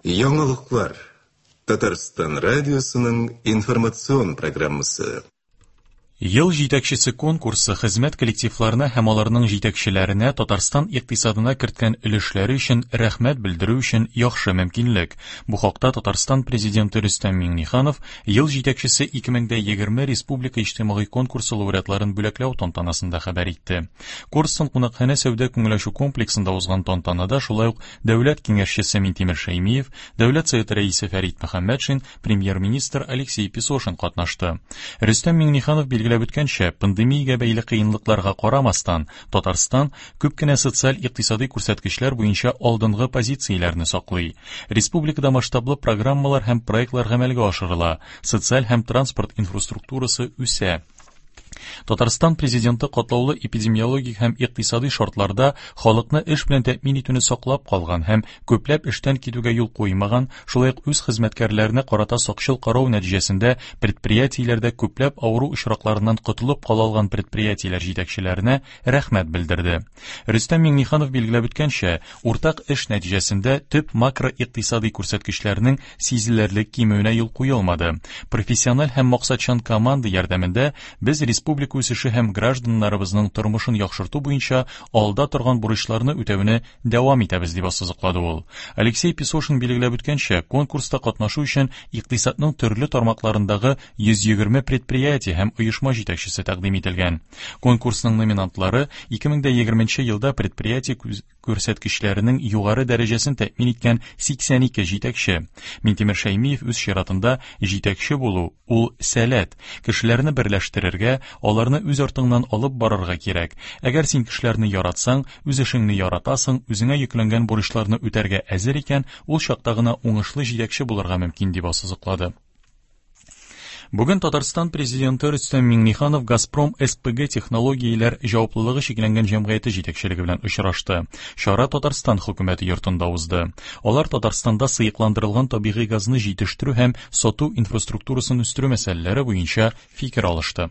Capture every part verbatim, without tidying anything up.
Яңалыклар. Татарстан радиосының информацион программасы. Ел җитәкчесе конкурсы хезмәт коллективларына һәм аларның җитәкчеләренә Татарстан икътисадына керткән өлешләре өчен рәхмәт белдерү өчен яхшы мөмкинлек. Бу хакта Татарстан президенты Рөстәм Миңнеханов Ел җитәкчесе ике мең дә егерме республика иҗтимагый конкурсы лауреатларын бүләкләү тантанасында хәбәр итте. Корстон кунакханә сәүдә күңел ачу комплексында узган тантанада шулай ук дәүләт киңәшчесе Минтимер Шәймиев, дәүләт советы рәисе Фәрит Мөхәммәтшин, премьер-министр Алексей Песошин катнашты. Рөстәм Миңнеханов билгеләп үткәнчә, пандемиягә бәйле кыенлыкларга карамастан, Татарстан күп кенә социаль-икътисади күрсәткечләр буенча алдынгы позицияләрне саклый. Республикада масштаблы программалар һәм проектлар гамәлгә ашырыла, социаль һәм транспорт инфраструктурасы үсә. Татарстан президенты катлаулы эпидемиологик һәм икътисади шартларда халыкны эш белән тәэмин итүне саклап калган һәм күпләп эштән китүгә юл куймаган, шулай ук үз хезмәткәрләренә карата сакчыл карау нәтиҗәсендә предприятиеләрдә күпләп авыру очракларыннан котылып кала алган предприятиеләр җитәкчеләренә рәхмәт белдерде. Рөстәм Миңнеханов билгеләп үткәнчә, уртак эш нәтиҗәсендә төп макроикътисади күрсәткечләрнең сизелерлек кимүенә юл куелмады. Профессиональ һәм максатчан команда ярдәмендә без республика үсеше һәм гражданнарыбызның тормышын яхшырту буенча алда торган бурычларны үтәүне дәвам итәбез, дип ассызыклады ул. Алексей Песошин билгеләп үткәнчә, конкурста катнашу өчен икътисадның төрле тармакларындагы йөз егерме предприятие һәм оешма җитәкчесе тәкъдим ителгән. Конкурсның номинантлары ике мең дә егерменче елда предприятие күрсәткечләренең югары дәрәҗәсен тәэмин иткән сиксән ике җитәкче. Минтимер Шәймиев үз чиратында җитәкче булу ул сәләт, кешеләрне берләштерергә, аларны үз артыңнан алып барырга кирәк. Әгәр син кешеләрне яратсаң, үз эшеңне яратасың, үзеңә йөкләнгән бурычларны үтәргә әзер икән, ул чакта гына уңышлы җитәкче булырга мөмкин, дип ассызыклады. Бүген Татарстан президенты Рөстәм Миңнеханов Газпром эс пэ гэ технологияләр җаваплылыгы чикләнгән җәмгыяте җитәкчелеге белән очрашты. Чара Татарстан хөкүмәте йортында узды. Алар Татарстанда сыекландырылган табигый газны җитештерү һәм сату инфраструктурасын үстерү мәсьәләләре буенча фикер алышты.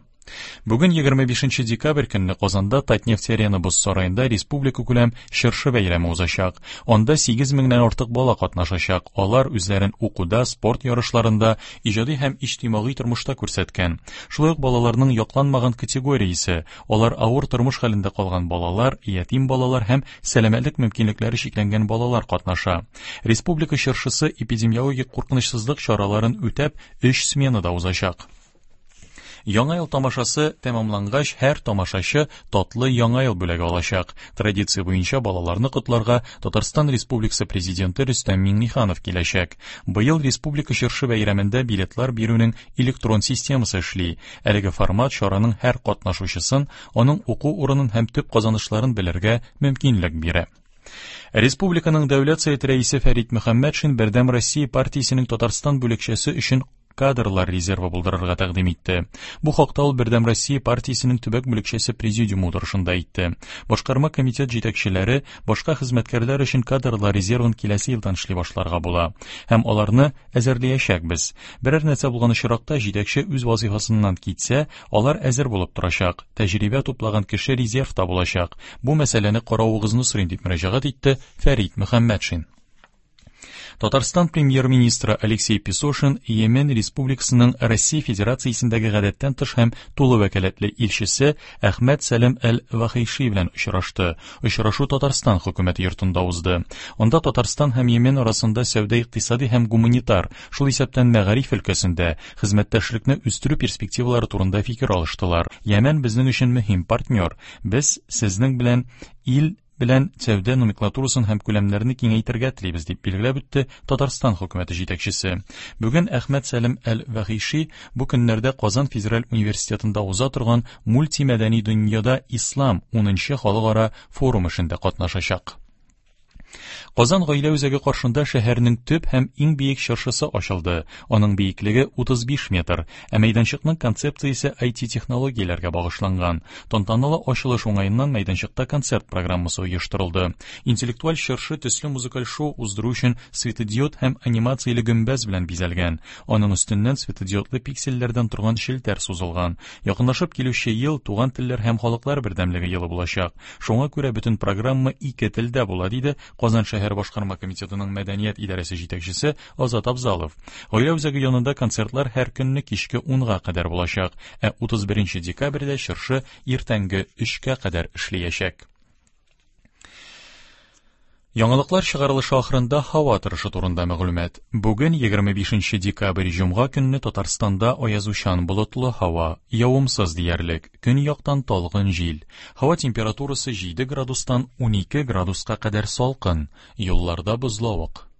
Бүген егерме бишенче декабрь көнне Казанда Татнефть Арена боз сараенда республика күләм чыршы бәйрәме узачак. Анда сигез меңнән артык бала катнашачак. Алар үзләрен укуда, спорт ярышларында, иҗади һәм иҗтимагый тормышта күрсәткән. Шулай ук балаларның якланмаган категориясе, алар авыр тормыш хәлендә калган балалар, ятим балалар һәм сәламәтлек мөмкинлекләре чикләнгән балалар катнаша. Республика чыршысы эпидемиологик куркынычсызлык чараларын үтәп, өч сменада узачак. Яңа ел тамашасы тәмамлангач, һәр тамашачы татлы яңа ел бүләге алачак. Традиция буенча балаларны котларга Татарстан Республикасы президенты Рөстәм Миңнеханов киләчәк. Быел республика чыршы бәйрәмендә билетлар бирүнең электрон системасы эшли. Әлеге формат чараның һәр катнашучысын, аның уку урынын һәм төп казанышларын белергә мөмкинлек бирә. Республиканың Дәүләт Советы рәисе Фәрит Мөхәммәтшин Бердәм Россия партиясенең Татарстан бүлекчәсе өчен кадрлар резервы булдырырга тәкъдим итте. Бу хакта ул Бердәм Россия партиясенең төбәк бүлекчәсе президиумы утырышында әйтте. Башкарма комитет җитәкчеләре башка хезмәткәрләр өчен кадрлар резервын киләсе елдан эшли башларга була һәм аларны әзерләячәкбез. Берәр нәрсә булган очракта җитәкче үз вазифасыннан китсә, алар әзер булып торачак. Тәҗрибә туплаган кеше резервта булачак. Бу мәсьәләне каравыгызны сорыйм, дип мөрәҗәгать итте Фәрит Мөхәммәтшин. Татарстан премьер-министры Алексей Песошин Йемен Республикасының Россия Федерациясендәге гадәттән тыш һәм тулы вәкаләтле илчесе Әхмәт Сәлем әл-Вахиши белән очрашты. Очрашу Татарстан хөкүмәте йортында узды. Анда Татарстан һәм Йемен арасында сәүдә-икътисади һәм гуманитар, шул исәптән мәгариф өлкәсендә хезмәттәшлекне үстерү перспективалары турында фикер алыштылар. Йемен безнең өчен мөһим партнер. Без сезнең белән ил белән сәүдә номенклатурасын һәм күләмнәрне киңәйтергә телибез, дип билгеләп үтте Татарстан хөкүмәте җитәкчесе. Бүген Әхмәт Сәлем әл-Вахиши бу көннәрдә Казан федераль университетында уза торган мультимәдәни дөньяда ислам унынчы халыкара форум эшендә катнашачак. Казан гаилә үзәге каршында шәһәрнең төп һәм иң биек чыршысы ачылды. Аның биеклеге утыз биш метр, ә мәйданчыкның концепциясе ай ти технологияләргә багышланган. Тантаналы ачылыш уңаеннан мәйданчыкта концерт программасы оештырылды. Интеллектуаль чыршы төсле музыкаль шоу уздыру өчен светодиод һәм анимацияле гөмбәз белән бизәлгән. Аның өстеннән светодиодлы пиксельләрдән торган челтәр сузылган. Якынлашып килүче ел туган телләр һәм халыклар бердәмлеге елы булачак. Шуңа күрә бөтен программа ике телдә була, диде Казан шәһәр башкарма комитетының мәдәният идарәсе җитәкчесе Азат Абзалов. Гаилә үзәге янында концертлар һәр көнне кичке унга кадәр булачак, ә утыз беренче декабрьдә чыршы иртәнге өчкә кадәр эшләячәк. Яңалыклар чыгарылышы ахырында һава торышы турында мәгълүмат. Бүген егерме бишенче декабрь җомга көнне Татарстанда аязучан болытлы һава, явымсыз диярлек, көньяктан талгын җил. Һава температурасы җиде градустан унике градуска кадәр салкын, юлларда бозлавык.